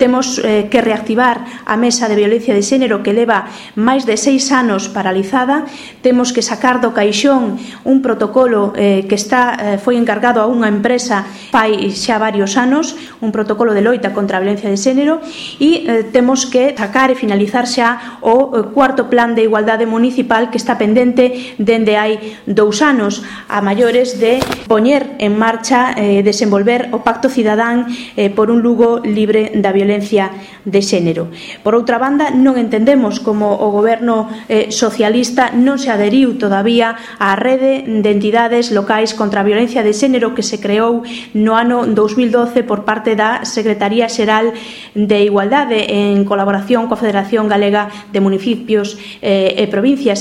Temos que reactivar a Mesa de Violencia de Xénero que leva máis de 6 anos paralizada. Temos que sacar do caixón un protocolo que foi encargado a unha empresa fai xa varios anos, un protocolo de loita contra a violencia de xénero, e temos que sacar e finalizar xa o cuarto plan de igualdade municipal que está pendente dende hai 2 anos a maiores de poñer en marcha desenvolver o Pacto Cidadán por un Lugo libre da violencia de xénero. Por outra banda, non entendemos como o goberno socialista non se adheriu todavía á rede de entidades locais contra a violencia de xénero que se creou no ano 2012 por parte da Secretaría Xeral de Igualdade en colaboración coa Federación Galega de Municipios e Provincias.